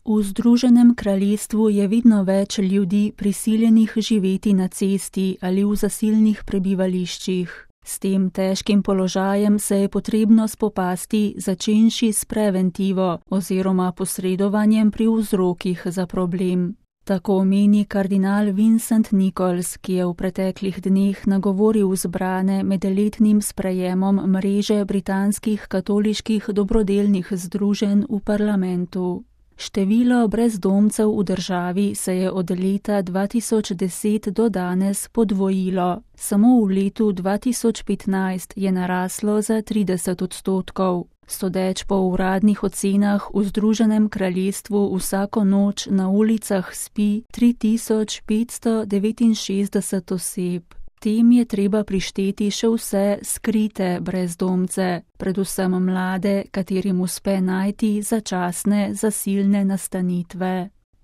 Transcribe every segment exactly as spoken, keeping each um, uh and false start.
V Združenem kraljestvu je vedno več ljudi prisiljenih živeti na cesti ali v zasilnih prebivališčih. S tem težkim položajem se je potrebno spopasti, začenši s preventivo oziroma posredovanjem pri vzrokih za problem. Tako meni kardinal Vincent Nichols, ki je v preteklih dneh nagovoril zbrane med letnim sprejemom mreže britanskih katoliških dobrodelnih združenj v parlamentu. Število brezdomcev v državi se je od leta dva tisoč deset do danes podvojilo. Samo v letu dva tisoč petnajst je naraslo za trideset odstotkov. Sodeč po uradnih ocenah v Združenem kraljestvu vsako noč na ulicah spi tri tisoč petsto devetinšestdeset oseb. Tem je treba prišteti še vse skrite brezdomce, predvsem mlade, katerim uspe najti začasne zasilne nastanitve.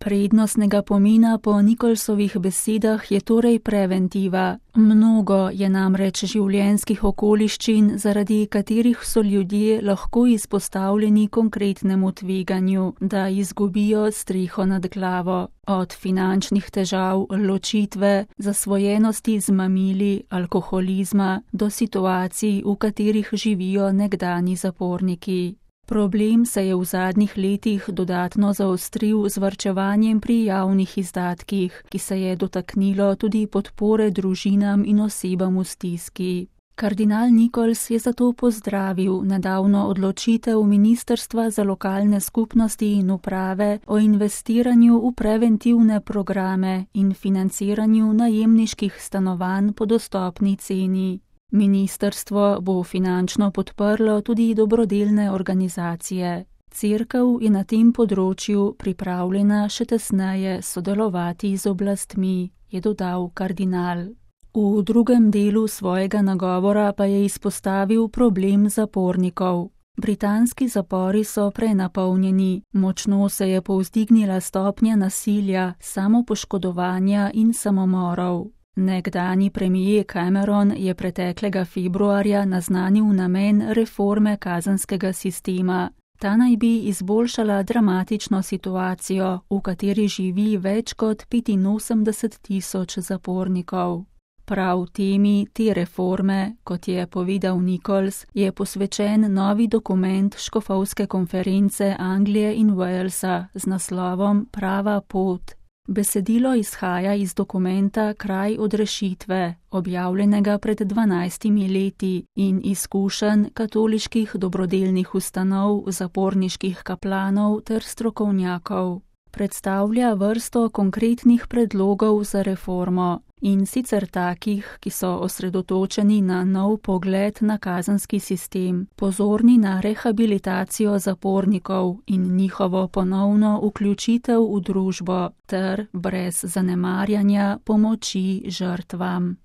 Prednostnega pomena po Nicholsovih besedah je torej preventiva. Mnogo je namreč življenjskih okoliščin, zaradi katerih so ljudje lahko izpostavljeni konkretnemu tveganju, da izgubijo streho nad glavo. Od finančnih težav, ločitve, zasvojenosti z mamili, alkoholizma do situacij, v katerih živijo nekdanji zaporniki. Problem se je v zadnjih letih dodatno zaostril z varčevanjem pri javnih izdatkih, ki se je dotaknilo tudi podpore družinam in osebam v stiski. Kardinal Nichols je zato pozdravil nedavno odločitev Ministrstva za lokalne skupnosti in uprave o investiranju v preventivne programe in financiranju najemniških stanovanj po dostopni ceni. Ministrstvo bo finančno podprlo tudi dobrodelne organizacije. Cerkev je na tem področju pripravljena še tesneje sodelovati z oblastmi, je dodal kardinal. V drugem delu svojega nagovora pa je izpostavil problem zapornikov. Britanski zapori so prenapolnjeni, močno se je povzdignila stopnja nasilja, samopoškodovanja in samomorov. Nekdanji premier Cameron je preteklega februarja naznanil namen reforme kazenskega sistema. Ta naj bi izboljšala dramatično situacijo, v kateri živi več kot petinosemdeset tisoč zapornikov. Prav temi te reforme, kot je povedal Nichols, je posvečen novi dokument škofovske konference Anglije in Walesa z naslovom Prava pot. Besedilo izhaja iz dokumenta Kraj odrešitve, objavljenega pred dvanajstimi leti, in izkušenj katoliških dobrodelnih ustanov, zaporniških kaplanov ter strokovnjakov. Predstavlja vrsto konkretnih predlogov za reformo, in sicer takih, ki so osredotočeni na nov pogled na kazenski sistem, pozorni na rehabilitacijo zapornikov in njihovo ponovno vključitev v družbo ter brez zanemarjanja pomoči žrtvam.